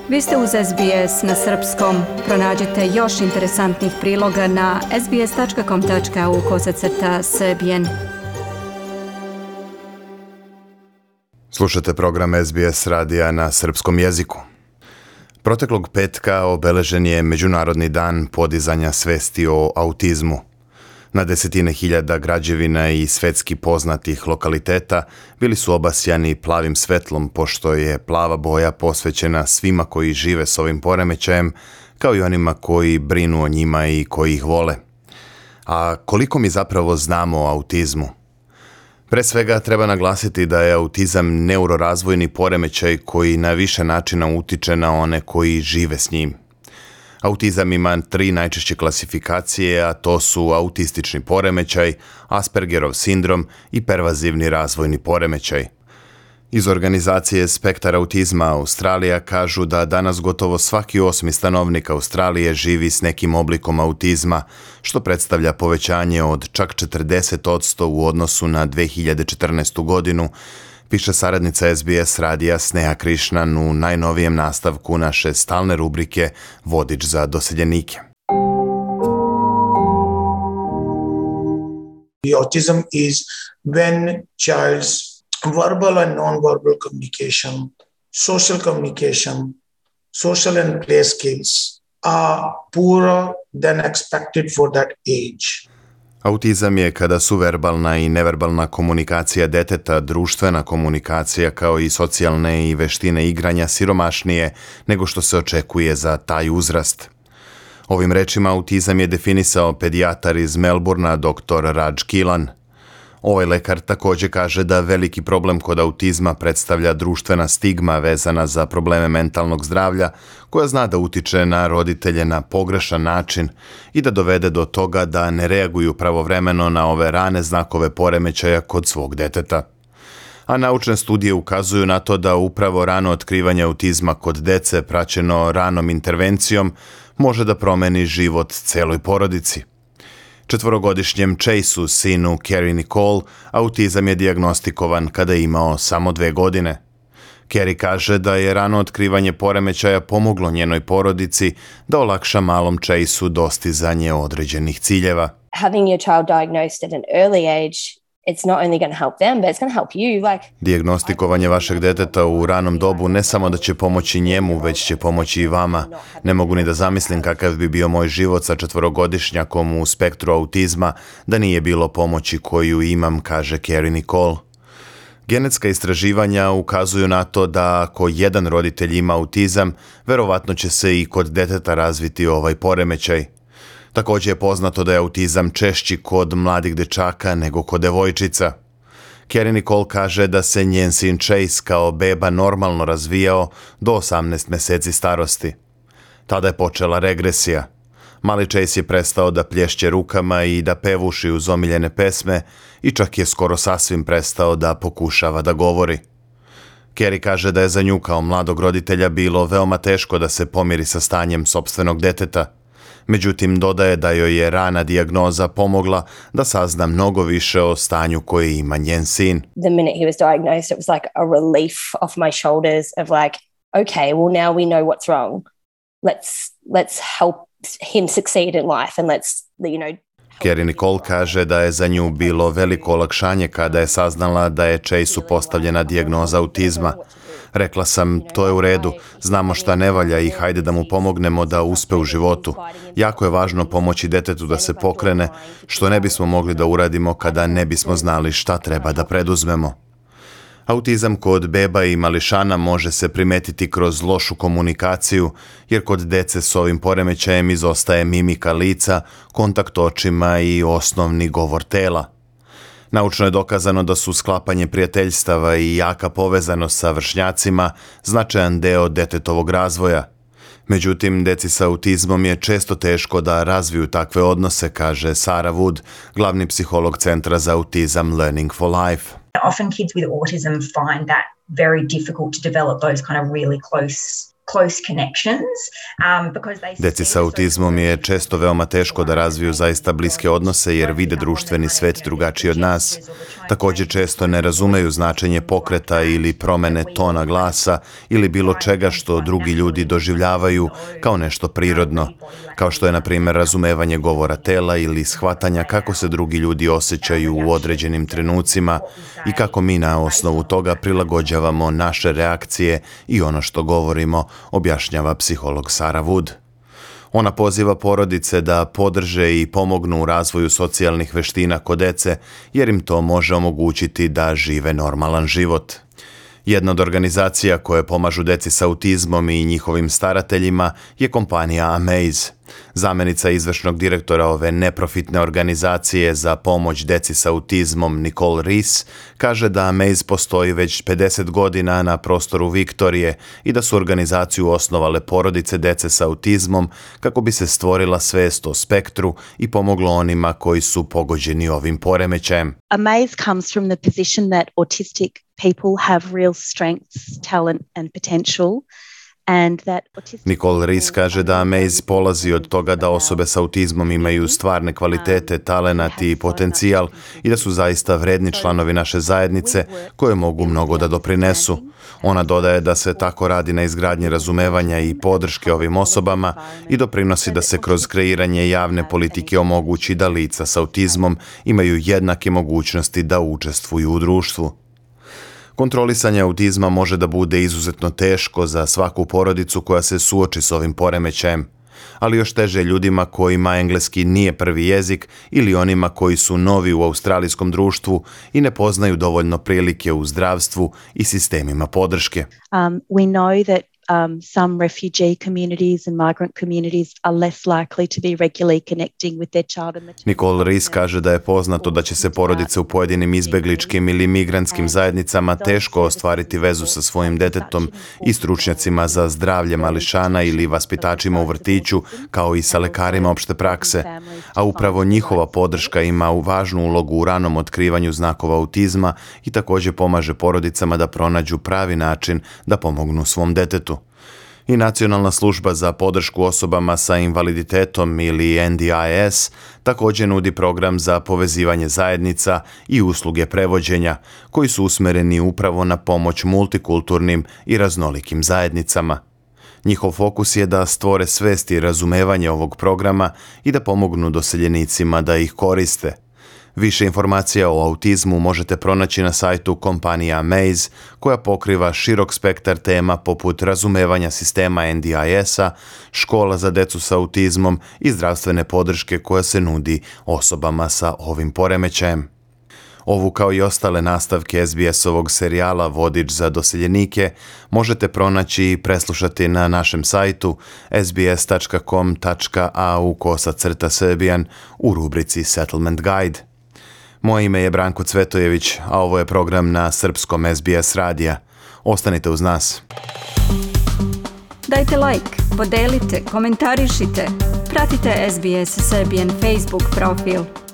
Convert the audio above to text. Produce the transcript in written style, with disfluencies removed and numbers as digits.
Vi ste uz SBS na srpskom. Pronađite još interesantnih priloga na sbs.com.au/srbijen. Slušate program SBS radija na srpskom jeziku. Proteklog petka obeležen je Međunarodni dan podizanja svesti o autizmu. Na desetine hiljada građevina i svetski poznatih lokaliteta bili su obasjani plavim svetlom, pošto je plava boja posvećena svima koji žive s ovim poremećajem, kao i onima koji brinu o njima i koji ih vole. A koliko mi zapravo znamo o autizmu? Pre svega treba naglasiti da je autizam neurorazvojni poremećaj koji na više načina utiče na one koji žive s njim. Autizam ima 3 najčešće klasifikacije, a to su autistični poremećaj, Aspergerov sindrom i pervazivni razvojni poremećaj. Iz organizacije Spektar autizma Australija kažu da danas gotovo svaki 8. stanovnik Australije živi s nekim oblikom autizma, što predstavlja povećanje od čak 40% u odnosu na 2014. godinu, piše saradnica SBS radija Sneha Krishnan u najnovijem nastavku naše stalne rubrike Vodič za doseljenike. Autism is when child's verbal and non-verbal communication, social and play skills are poorer than expected for that age. Autizam je kada su verbalna i neverbalna komunikacija deteta, društvena komunikacija kao i socijalne i veštine igranja siromašnije nego što se očekuje za taj uzrast. Ovim rečima autizam je definisao pedijatar iz Melbournea dr. Raj Kilan. Ovaj lekar također kaže da veliki problem kod autizma predstavlja društvena stigma vezana za probleme mentalnog zdravlja, koja zna da utiče na roditelje na pogrešan način i da dovede do toga da ne reaguju pravovremeno na ove rane znakove poremećaja kod svog deteta. A naučne studije ukazuju na to da upravo rano otkrivanje autizma kod dece praćeno ranom intervencijom može da promeni život celoj porodici. 4-godišnjem Chaseu, sinu Kerry Nicole, autizam je dijagnostikovan kada je imao samo 2 godine. Kerry kaže da je rano otkrivanje poremećaja pomoglo njenoj porodici da olakša malom Chaseu dostizanje određenih ciljeva. Having your child diagnosed at an early age, it's not only going to help them, but it's going to help you. Dijagnostikovanje vašeg deteta u ranom dobu ne samo da će pomoći njemu, već će pomoći i vama. Ne mogu ni da zamislim kakav bi bio moj život sa 4-godišnjakom u spektru autizma da nije bilo pomoći koju imam, kaže Kerry Nicole. Genetska istraživanja ukazuju na to da ako jedan roditelj ima autizam, verovatno će se i kod deteta razviti ovaj poremećaj. Također je poznato da je autizam češći kod mladih dečaka nego kod devojčica. Kerry Nicole kaže da se njen sin Chase kao beba normalno razvijao do 18 mjeseci starosti. Tada je počela regresija. Mali Chase je prestao da plješće rukama i da pevuši uz omiljene pesme i čak je skoro sasvim prestao da pokušava da govori. Kerry kaže da je za nju kao mladog roditelja bilo veoma teško da se pomiri sa stanjem sopstvenog deteta. Međutim, dodaje da joj je rana dijagnoza pomogla da sazna mnogo više o stanju koje ima njen sin. The minute he was diagnosed, it was like a relief off my shoulders of like, okay, well now we know what's wrong. Let's help him succeed in life and Kerry Nicole kaže da je za nju bilo veliko olakšanje kada je saznala da je Chaseu postavljena dijagnoza autizma. Rekla sam, to je u redu, znamo šta ne valja i hajde da mu pomognemo da uspe u životu. Jako je važno pomoći detetu da se pokrene, što ne bismo mogli da uradimo kada ne bismo znali šta treba da preduzmemo. Autizam kod beba i mališana može se primetiti kroz lošu komunikaciju, jer kod dece s ovim poremećajem izostaje mimika lica, kontakt očima i osnovni govor tela. Naučno je dokazano da su sklapanje prijateljstava i jaka povezanost sa vršnjacima značajan deo detetovog razvoja. Međutim, deci sa autizmom je često teško da razviju takve odnose, kaže Sarah Wood, glavni psiholog Centra za autizam Learning for Life. Often kids with autism find that very difficult to develop those kind of really close close connections because they Deci sa autizmom je često veoma teško da razviju zaista bliske odnose jer vide društveni svet drugačiji od nas. Također često ne razumeju značenje pokreta ili promene tona glasa ili bilo čega što drugi ljudi doživljavaju kao nešto prirodno, kao što je na primjer razumevanje govora tela ili shvatanja kako se drugi ljudi osjećaju u određenim trenucima i kako mi na osnovu toga prilagođavamo naše reakcije i ono što govorimo, objašnjava psiholog Sarah Wood. Ona poziva porodice da podrže i pomognu u razvoju socijalnih veština kod dece, jer im to može omogućiti da žive normalan život. Jedna od organizacija koje pomažu deci sa autizmom i njihovim starateljima je kompanija Amaze. Zamjenica izvršnog direktora ove neprofitne organizacije za pomoć deci sa autizmom Nicole Rees kaže da Amaze postoji već 50 godina na prostoru Viktorije i da su organizaciju osnovale porodice dece sa autizmom kako bi se stvorila svest o spektru i pomoglo onima koji su pogođeni ovim poremećajem. Amaze comes from the position that autistic people have real strengths, talent and potential. Nicole Rees kaže da Amaze polazi od toga da osobe sa autizmom imaju stvarne kvalitete, talenat i potencijal i da su zaista vredni članovi naše zajednice koje mogu mnogo da doprinesu. Ona dodaje da se tako radi na izgradnji razumevanja i podrške ovim osobama i doprinosi da se kroz kreiranje javne politike omogući da lica sa autizmom imaju jednake mogućnosti da učestvuju u društvu. Kontrolisanje autizma može da bude izuzetno teško za svaku porodicu koja se suoči s ovim poremećajem, ali još teže ljudima kojima engleski nije prvi jezik ili onima koji su novi u australijskom društvu i ne poznaju dovoljno prilike u zdravstvu i sistemima podrške. We know that some refugee communities and migrant communities are less likely to be regularly connecting with their child. Nicole Rees kaže da je poznato da će se porodice u pojedinim izbegličkim ili migrantskim zajednicama teško ostvariti vezu sa svojim detetom i stručnjacima za zdravlje mališana ili vaspitačima u vrtiću, kao i sa lekarima opšte prakse, a upravo njihova podrška ima važnu ulogu u ranom otkrivanju znakova autizma i također pomaže porodicama da pronađu pravi način da pomognu svom detetu. I Nacionalna služba za podršku osobama sa invaliditetom ili NDIS također nudi program za povezivanje zajednica i usluge prevođenja koji su usmereni upravo na pomoć multikulturnim i raznolikim zajednicama. Njihov fokus je da stvore svest i razumevanje ovog programa i da pomognu doseljenicima da ih koriste. Više informacija o autizmu možete pronaći na sajtu kompanije Amaze, koja pokriva širok spektar tema poput razumevanja sistema NDIS-a, škola za decu sa autizmom i zdravstvene podrške koja se nudi osobama sa ovim poremećajem. Ovu kao i ostale nastavke SBS-ovog serijala Vodič za doseljenike možete pronaći i preslušati na našem sajtu sbs.com.au/Serbian u rubrici Settlement Guide. Moje ime je Branko Cvetojević, a ovo je program na srpskom SBS radija. Ostanite uz nas. Dajte like, podelite, komentarišite. Pratite SBS Serbian Facebook profil.